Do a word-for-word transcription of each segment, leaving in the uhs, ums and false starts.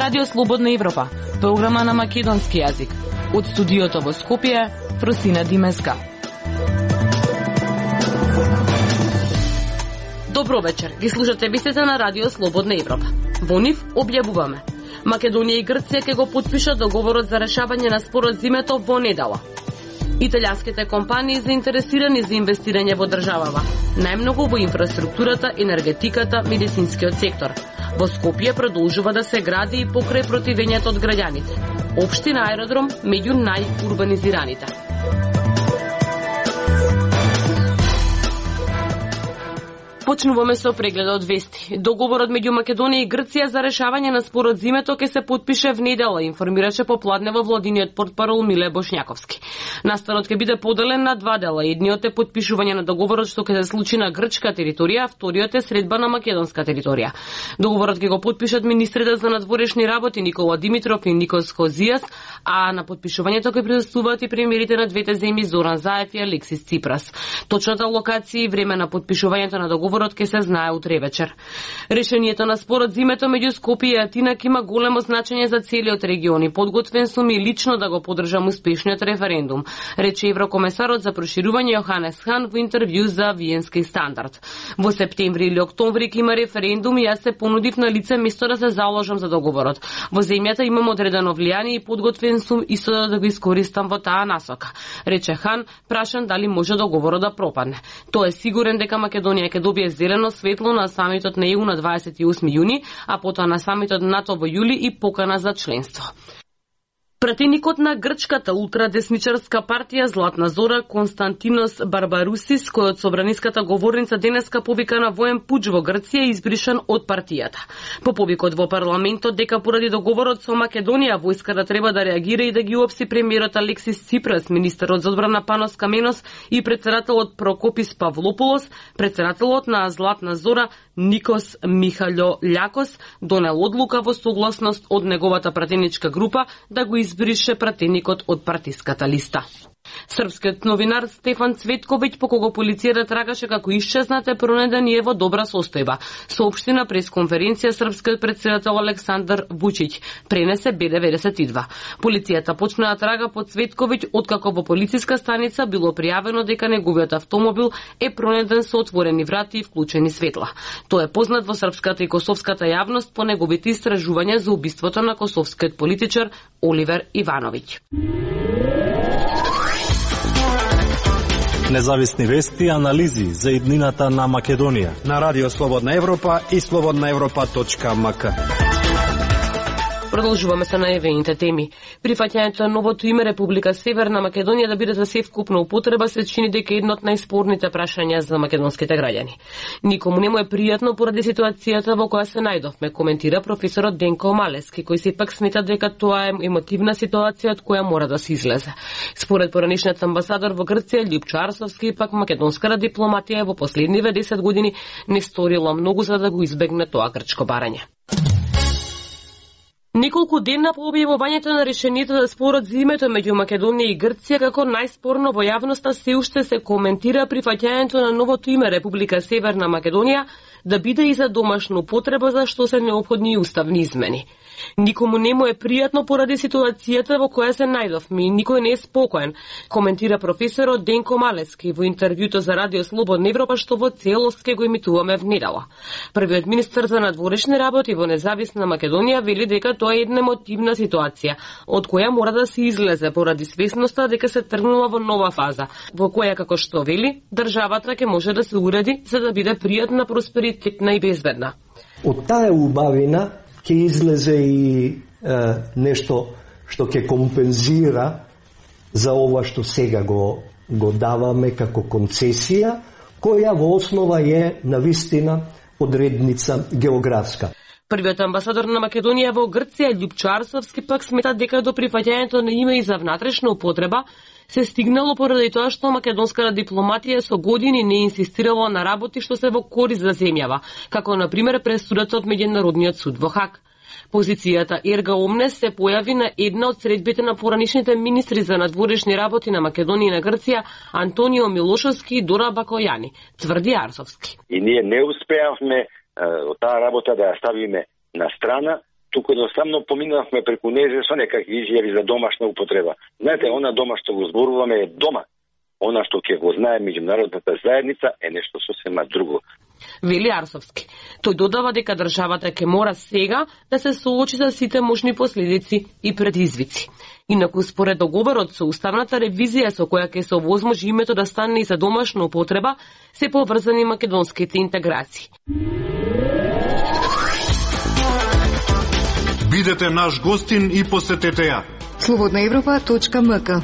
Радио Слободна Европа, програма на македонски јазик. Од студиото во Скопје, Фросина Димеска. Добро вечер, ги слушате вестите на Радио Слободна Европа. Во нив објавуваме: Македонија и Грција ќе го потпишат договорот за решавање на спорот зимето во недела. Италијанските компании заинтересирани за инвестирање во државава, најмногу во инфраструктурата, енергетиката, медицинскиот сектор. Во Скопје продолжува да се гради и покрај противењето од граѓаните. Општина аеродром меѓу најурбанизираните. Почнуваме со прегледот вести. Договорот меѓу Македонија и Грција за решавање на спорот зимето ќе се потпише внедела, информираше попладне во владиниот портпарол Миле Бошњаковски. Настанот ќе биде поделен на два дела. Едниот е потпишување на договорот што ќе се случи на грчка територија, а вториот е средба на македонска територија. Договорот ќе го потпишат министрите за надворешни работи Никола Димитров и Никос Хозијас, а на потпишувањето ќе присуствуваат и премиерите на двете земји Зоран Заев и Алексис Ципрас. Точната локација и време на потпишувањето на договорот ќе се знае утре вечер. Решението на спорот зимето меѓу Скопје и Атина ќе има големо значење за целиот регион и подготвен сум и лично да го поддржам успешниот референдум, рече еврокомесарот за проширување Јоханес Хан во интервју за Виенски стандард. Во септември или октомври ќе има референдум и јас се понудив на лице место да се заложам за договорот. Во земјата имам одредено влијание и подготвен сум исто да го искористам во таа насока, рече Хан, прашан дали може договорот да пропадне. Тој е сигурен дека Македонија ќе добие зелено светло на самитот на ЕУ на дваесет и осми јуни, а потоа на самитот НАТО во јули и покана за членство. Пратеникот на грчката ултрадесничарска партија Златна Зора Константинос Барбарусис, кој од собраниската говорница денеска повика на воен пуч во Грција, избришан од партијата. По повикот во парламентот дека поради договорот со Македонија војската треба да реагира и да ги уапси премиерот Алексис Ципрас, министерот за одбрана Панос Каменос и претседателот Прокопис Павлополос, претседателот на Златна Зора Никос Михаљо Лјакос донел одлука во согласност од неговата пратеничка група да го избрише пратеникот од партиската листа. Српскиот новинар Стефан Цветковиќ, по кого полицијата трагаше како исчезнат, е пронеден и е во добра состојба, соопшти на пресконференција српскиот претседател Александар Вучиќ, пренесе Б деветдесет и два. Полицијата почна да трага по Цветковиќ откако во полициска станица било пријавено дека неговиот автомобил е пронеден со отворени врати и вклучени светла. Тој е познат во српската и косовската јавност по неговите истражувања за убиството на косовскиот политичар Оливер Ивановиќ. Независни вести и анализи за иднината на Македонија на Радио Слободна Европа и слободна европа точка ем ка. Продолжуваме со најавените теми. Прифаќањето на новото име Република Северна Македонија да биде за севкупна употреба се чини дека едно од најспорните прашања за македонските граѓани. Никому не му е пријатно поради ситуацијата во која се најдовме, коментира професорот Денко Малески, кој сепак смета дека тоа е емотивна ситуација од која мора да се излезе. Според поранишниот амбасадор во Грција Љупчо Арсовски, пак македонската дипломатија во последниве десет години не сторила многу за да го избегне тоа грчко барање. Неколку дена по објавувањето на решението за спорот зимето меѓу Македонија и Грција, како најспорно во јавноста се уште се коментира прифаќањето на новото име Република Северна Македонија да биде и за домашна употреба, за што се неопходни и уставни измени. Никому не му е пријатно поради ситуацијата во која се најдовме и никој не е спокоен, коментира професорот Денко Малески во интервјуто за Радио Слободна Европа, што во целост ке го емитуваме внедела. Првиот министер за надворешни работи во независна Македонија вели дека тоа е една емотивна ситуација, од која мора да се излезе поради свесноста дека се тргнала во нова фаза, во која, како што вели, државата ќе може да се уреди за да биде пријатна, просперитетна и безбедна. Од таа убавина ќе излезе и е, нешто што ќе компензира за ова што сега го, го даваме како концесија, која во основа е навистина одредница географска. Првиот амбасадор на Македонија во Грција Љупчо Арсовски пак смета дека до прифаќањето на име и за внатрешна употреба се стигнало поради тоа што македонската дипломатија со години не инсистирала на работи што се во корист за земјава, како на пример пресудата од Меѓународниот суд во Хаг. Позицијата Ерга Омнес се појави на една од средбите на поранишните министри за надворешни работи на Македонија и на Грција Антонио Милошовски и Дора Бакојани, тврди Арсовски. И ние не успеавме од таа работа да ја ставиме на страна, туку едноставно поминавме преку незе со некакви изјави за домашна употреба. Знаете, она дома што го зборуваме е дома. Она што ќе го знае меѓународната заедница е нешто сосема друго. Вели Арсовски. Тој додава дека државата ќе мора сега да се соочи за сите можни последици и предизвици. Инаку според договорот со уставната ревизија со која ќе се овозможи името да стане и за домашна употреба, се поврзани македонските интеграции. Бидете наш гостин и посетете ја. слободна европа точка ем ка.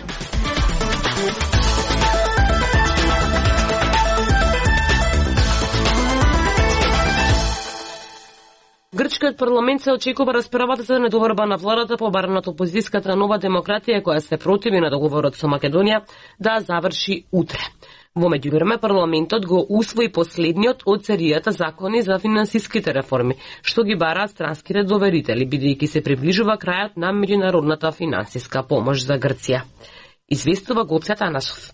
Грчкиот парламент се очекува расправата за недоврба на владата по бараната опозицијската Нова демократија која се противи на договорот со Македонија да заврши утре. Во меѓувреме парламентот го усвои последниот од серијата закони за финансиските реформи, што ги бараат странските доверители, бидејќи се приближува крајот на меѓународната финансиска помош за Грција. Известува Гоце Танасов.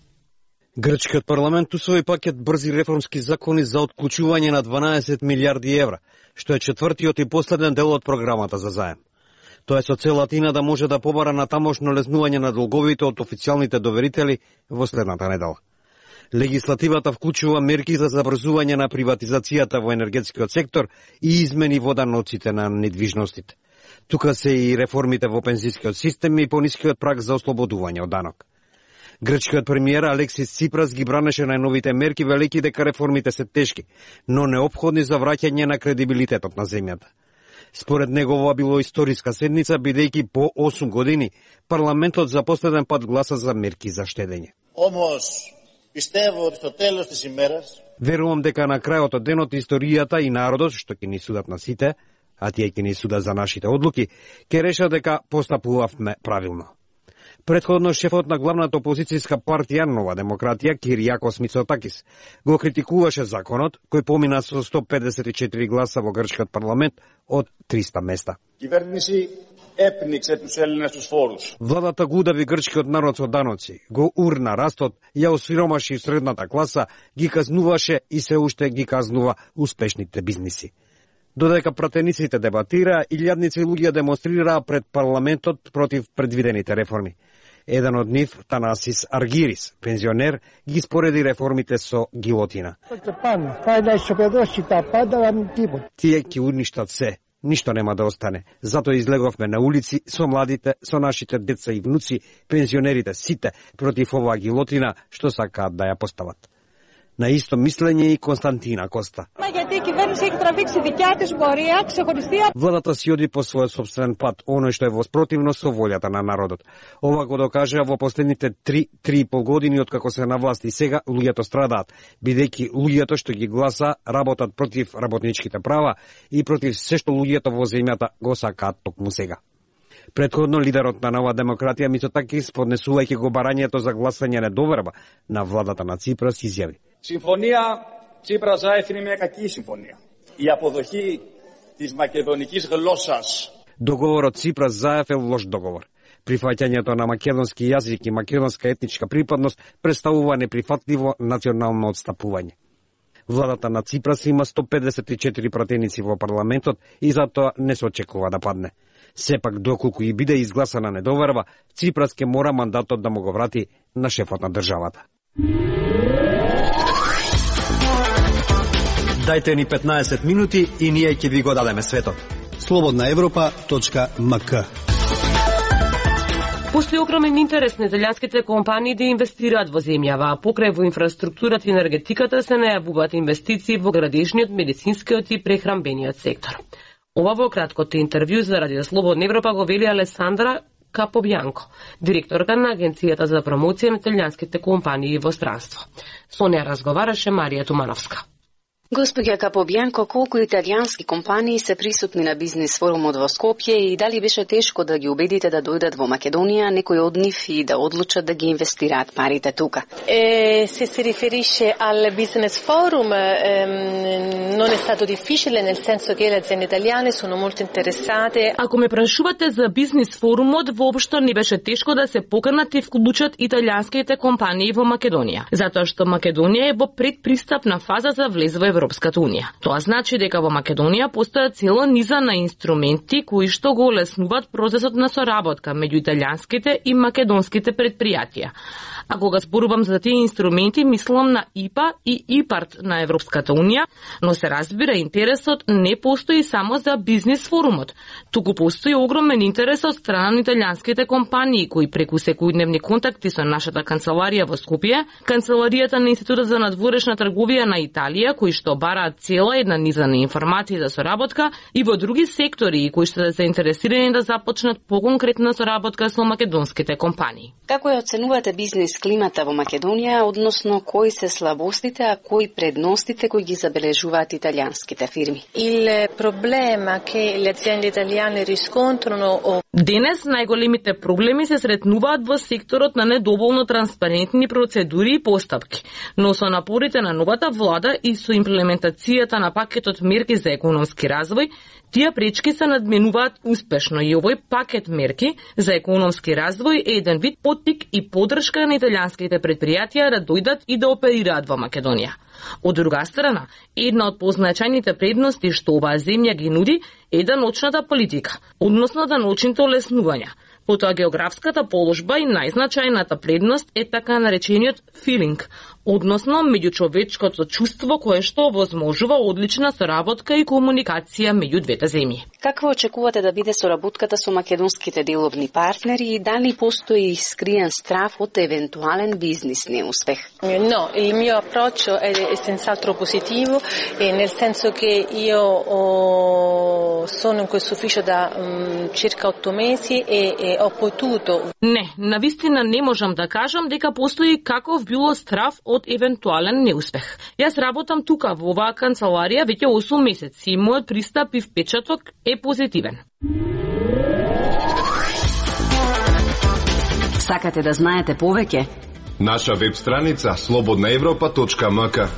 Грчкиот парламент усвои пакет брзи реформски закони за отклучување на дванаесет милијарди евра, што е четвртиот и последен дел од програмата за заем. Тоа е со цел Атина да може да побара на тамошно лезнување на долговите од официјалните доверители во следната недела. Легислативата вклучува мерки за забрзување на приватизацијата во енергетскиот сектор и измени во даноците на недвижностите. Тука се и реформите во пензискиот систем и понискиот праг за ослободување од данок. Грчкиот премиер Алексис Ципрас ги бранеше најновите мерки, велики дека реформите се тешки, но неопходни за враќање на кредибилитетот на земјата. Според него ова било историска седница, бидејќи по осум години парламентот за последен пат гласа за мерки за штедење. Омос, пистево од што телос ти имерас. Верувам дека на крајот од денот историјата и народот, што ќе ни судат на сите, а тие ќе ни судат за нашите одлуки, ќе решат дека постапувавме правилно. Предходно шефот на главната опозицијска партија Нова демократија Киријакос Мицотакис го критикуваше законот кој помина со сто педесет и четири гласа во грчкиот парламент од триста места. Киверниси епниксе туз Елинас туз φόρους. Владата го удави грчкиот народ со даноци, го урна растот, ја осиромаши средната класа, ги казнуваше и се уште ги казнува успешните бизниси. Додека пратениците дебатираа, илјадници луѓе демонстрираа пред парламентот против предвидените реформи. Еден од нив, Танасис Аргирис, пензионер, ги спореди реформите со гилотина. Тие ќе уништат се, ништо нема да остане. Затоа излеговме на улици со младите, со нашите деца и внуци, пензионерите, сите, против оваа гилотина, што сакаат да ја постават. На исто мислење и Константина Коста. Владата си оди по својот собствен пат, оној што е воспротивно со волјата на народот. Ова го докажа во последните три три и пол години откако се на власт и сега луѓето страдаат, бидејќи луѓето што ги гласа работат против работничките права и против се што луѓето во земјата го сакаат токму сега. Предходно лидерот на Нова демократија Мицотакис, поднесувајќи го барањето за гласање недоверба на владата на Ципрас, изјави: Συμφωνία Τσίπρα-Ζάεφ είναι μια κακή συμφωνία. Η αποδοχή της μακεδονικής γλώσσας. Договорот Ципрас-Заев е лош договор. Прифаќањето на македонски јазик и македонска етничка припадност представува неприфатливо национално отстапување. Владата на Ципрас има сто педесет и четири пратеници во парламентот и затоа не се очекува да падне. Сепак, доколку и биде изгласана недоверба, Ципрас ке мора мандатот да му го врати на шефот на државата. Дајте ни петнаесет минути и ние ќе ви го дадеме светот. слободна европа точка ем ка. Постои огромен интерес на италијанските компании да инвестираат во земјава, а покрај во инфраструктурата и енергетиката се најавуваат инвестиции во градежниот, медицинскиот и прехранбениот сектор. Ова во краткото интервју за Радио Слободна Европа го вели Алесандра Капобјанко, директорка на Агенцијата за промоција на италијанските компании во странство. Со неа разговараше Марија Тумановска. Господја Капобјанко, колку италијански компании се присутни на бизнис форумот во Скопје и дали беше тешко да ги убедите да дојдат во Македонија, некои од нив и да одлучат да ги инвестираат парите тука? Eh, se si riferisce al business forum, ehm, non è stato difficile, nel senso che le aziende italiane sono molto interessate. Ако ме прашувате за бизнис форумот, воопшто не беше тешко да се поканат и вклучат италијанските компании во Македонија, затоа што Македонија е во предпристапна фаза за влез во Европската унија. Тоа значи дека во Македонија постојат цела низа на инструменти кои што го олеснуваат процесот на соработка меѓу италијанските и македонските предпријатија. А кога зборувам за тие инструменти, мислам на И П А и ИПАРТ на Европската унија, но се разбира интересот не постои само за бизнис форумот, туку постои огромен интерес од страна на италијанските компании кои преку секојдневни контакти со нашата канцеларија во Скопје, канцеларијата на Институтот за надворешна трговија на Италија, кои што бараат цела една низа на информации за соработка и во други сектори кои што се заинтересирани да започнат поконкретна соработка со македонските компании. Како ја оценувате бизнис климата во Македонија, односно кои се слабостите, а кои предностите кои ги забележуваат италијанските фирми? Il problema che le aziende italiane riscontrano. Денес најголемите проблеми се сретнуваат во секторот на недоволно транспарентни процедури и постапки, но со напорите на новата влада и со имплементацијата на пакетот мерки за економски развој, тие пречки се надменуваат успешно и овој пакет мерки за економски развој е еден вид поттик и поддршка на италијанските предпријатија да дојдат и да оперираат во Македонија. Од друга страна, една од позначајните предности што оваа земја ги нуди е даночната политика, односно даночните олеснувања. Потоа географската положба и најзначајната предност е така наречениот филинг, односно меѓучовечкото чувство кое што овозможува одлична соработка и комуникација меѓу двете земји. Какво очекувате да биде соработката со македонските деловни партнери и дали постои скриен страф од евентуален бизнис неуспех? No, il mio approccio è senz'altro positivo e nel senso che io ho, sono in questo ufficio da um, circa otto mesi e, e ho potuto. Не, навистина не можам да кажам дека постои каков било страф од евентуален неуспех. Јас работам тука во оваа канцеларија веќе осум месеци и мојот пристап и впечаток е позитивен. Сакате да знаете повеќе? Наша веб страница слободна европа точка ем ка.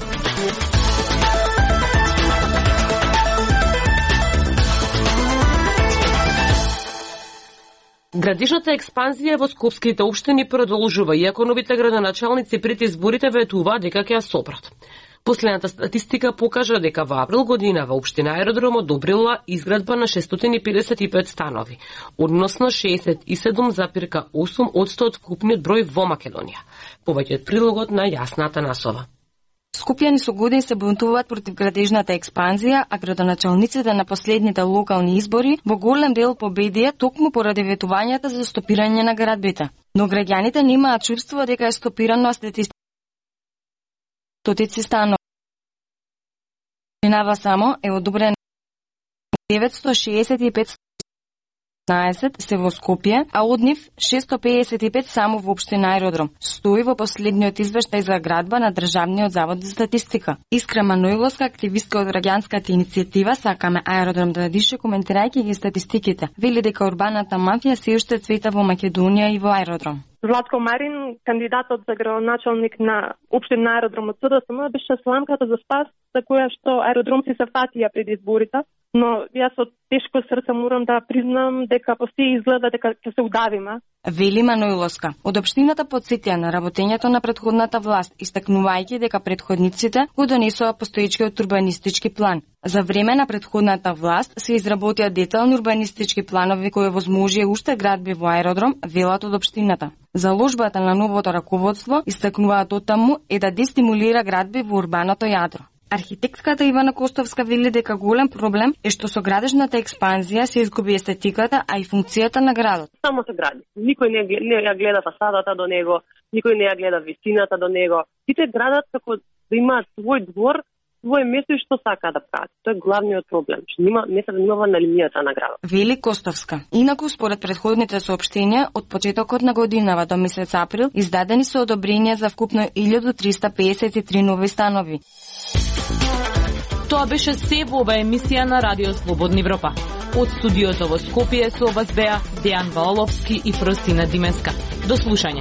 Градишната експанзија во скопските општини продолжува, иако новите градоначалници пред изборите ветуваат дека ќе ја сопрат. Последната статистика покажа дека во април година во општина Аеродром одобрила изградба на шестстотини педесет и пет станови, односно шеесет и седум запирка осум одсто од вкупниот број во Македонија. Повеќе од прилогот на Јасна Атанасова. Скопјани со години се бунтуваат против градежната експанзија, а градоначалниците на последните локални избори во голем дел победија токму поради ветувањата за стопирање на градбите. Но граѓаните немаат чувство дека е стопирано стотици станови. Минава само е одобрено деветстотини шеесет и пет се во Скопје, а од нив шестстотини педесет и пет само во општина Аеродром. Стои во последниот извештај за градба на Државниот завод за статистика. Искра Маноиловска, активистка од граѓанската иницијатива Сакаме Аеродром да дише, коментирајќи ги статистиките, вели дека урбаната мафија се уште цвета во Македонија и во Аеродром. Владко Марин, кандидатот за градоначалник на општина Аеродром од СДСМ, беше сламката за спас за која што аеродромци се фатија пред изборите, но јас од тешко срце морам да признам дека постои изгледа дека ќе се удавиме. Вели Маноиловска. Од општината потсетија на работењето на претходната власт, истакнувајќи дека претходниците го донесоа постоечкиот урбанистички план. За време на претходната власт се изработија детални урбанистички планови кои возможија уште градби во Аеродром, велат од општината. Заложбата на новото раководство, истакнуваат оттаму, е да дестимулира градби во урбаното јадро. Архитектката Ивана Костовска вели дека голем проблем е што со градежната експанзија се изгуби естетиката, а и функцијата на градот. Само се гради. Никој не, не ја гледа фасадата до него, никој не ја гледа висината до него. Сите градат како да имаат свој двор, своје место и што сака да прават. Тоа е главниот проблем, што нема не се занимава на линијата на градот. Вели Костовска. Инаку според претходните соопштенија, од почетокот на годинава до месец април издадени се одобренија за вкупно илјада триста педесет и три нови станови. Тоа беше се во оваа емисија на Радио Слободна Европа. Од студиото во Скопје со вас беа Дејан Ваоловски и Фросина Димеска. До слушање.